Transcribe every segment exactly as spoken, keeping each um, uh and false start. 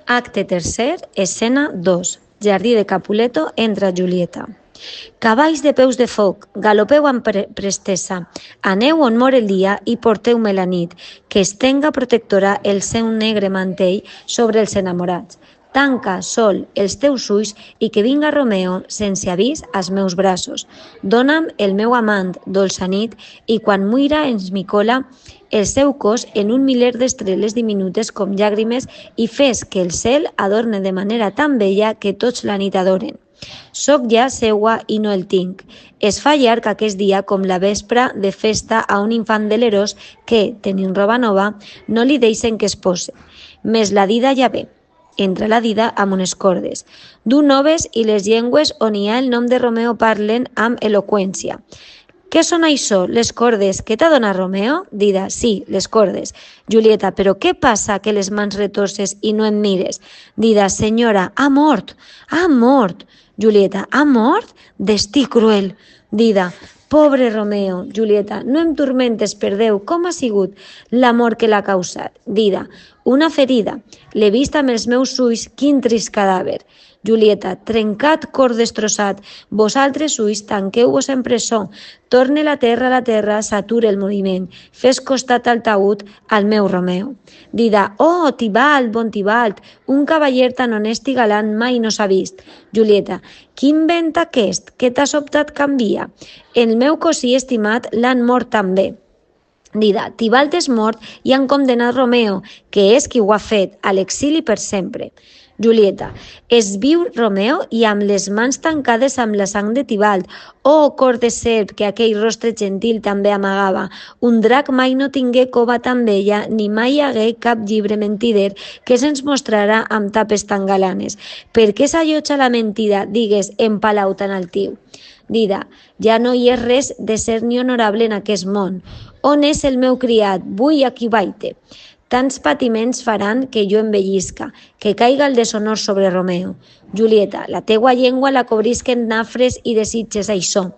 Acte tercer, escena dos. Jardí de Capuleto entra Julieta. Cavalls de peus de foc, galopeu amb pre prestesa, aneu on mor el dia i porteu-me la nit, que estenga protectora el seu negre mantell sobre els enamorats. Tanca, sol, els teus ulls i que vinga Romeo sense avís als meus braços. Dona'm el meu amant, dolça nit, i quan muira ens micola el seu cos en un miler d'estrelles diminutes com llàgrimes i fes que el cel adorne de manera tan bella que tots la nit adoren. Soc ja seua i no el tinc. Es fa llarg aquest dia com la vespra de festa a un infant delerós que, tenint roba nova, no li deixen que es pose. Mes la dida ja ve. Entra la dida amb unes cordes. Du noves i les llengües on hi ha el nom de Romeo parlen amb eloqüència. Què són això, les cordes? Què t'ha donat Romeo? Dida, sí, les cordes. Julieta, però què passa que les mans retorces i no em mires? Dida, senyora, ha mort, ha mort. Julieta, ha mort? Destí cruel. Dida, pobre Romeo. Julieta, no em turmentes per Déu, com ha sigut l'amor que l'ha causat? Dida, una ferida. L'he vist amb els meus ulls, quin trist cadàver. Julieta, trencat cor destrossat, vosaltres ulls tanqueu-vos en presó, torne la terra a la terra, s'ature el moviment, fes costat al taüt al meu Romeo. Dida, oh, Tibalt, bon Tibalt, un cavaller tan honest i galant mai no s'ha vist. Julieta, quin vent aquest, que t'ha sobtat canvia? El meu cosí estimat l'han mort també. Dida, Tibalt és mort i han condemnat Romeo, que és qui ho ha fet, a l'exili per sempre. Julieta, es viu Romeo i amb les mans tancades amb la sang de Tibalt. Oh, cor de serp, que aquell rostre gentil també amagava. Un drac mai no tingué cova tan bella, ni mai hi hagué cap llibre mentider que se'ns mostrarà amb tapes tan galanes. Per què s'allotja la mentida, digues, en palau tan altiu? Dida, ja no hi és res de ser ni honorable en aquest món. On és el meu criat? Vull aquí baite. Tants patiments faran que jo envellisca, que caiga el deshonor sobre Romeo. Julieta, la teua llengua la cobrisquen nafres i desitges això,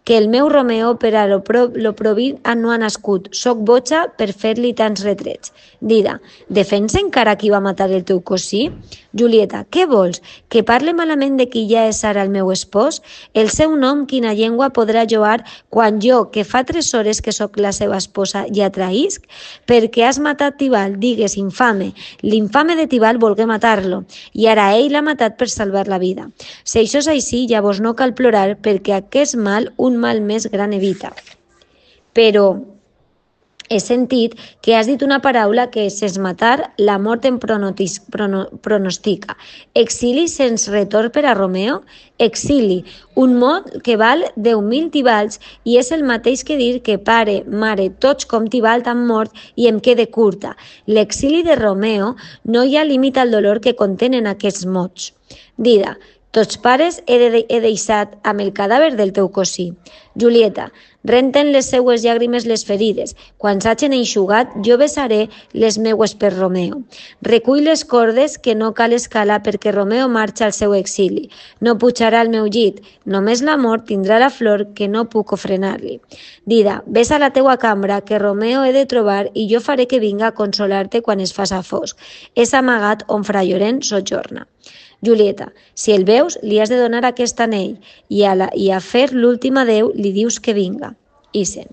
que el meu Romeo per a lo, pro, lo provir no ha nascut, soc boja per fer-li tants retrets. Dida, defensa encara qui va matar el teu cosí? Julieta, què vols? Que parle malament de qui ja és ara el meu espòs? El seu nom quina llengua podrà lloar quan jo, que fa tres hores que sóc la seva esposa, ja traïsc? Perquè has matat Tibalt, digues, infame. L'infame de Tibalt volgué matar-lo, i ara ell l'ha matat per salvar la vida. Si això és així, llavors no cal plorar, perquè aquest mal un mal més gran evita. Però he sentit que has dit una paraula que és matar, la mort en pronotis, prono, pronostica. Exili sense retorn per a Romeo? Exili, un mot que val deu mil Tibalts i és el mateix que dir que pare, mare, tots com Tibalt han mort i em quede curta. L'exili de Romeo no hi ha límit al dolor que contenen aquests mots. Dida, tots pares he, de, he deixat amb el cadàver del teu cosí. Julieta, renten les seues llàgrimes les ferides. Quan s'hagin enxugat, jo besaré les meues per Romeo. Recull les cordes que no cal escalar perquè Romeo marxa al seu exili. No pujarà al meu llit. Només l'amor tindrà la flor que no puc ofrenar-li. Dida, ves a la teua cambra que Romeo he de trobar i jo faré que vinga a consolar-te quan es faça fosc. És amagat on Fra Llorenç sojorna. Julieta, si el veus, li has de donar aquest anell i a, la, i a fer l'últim adeu li dius que vinga. Isen.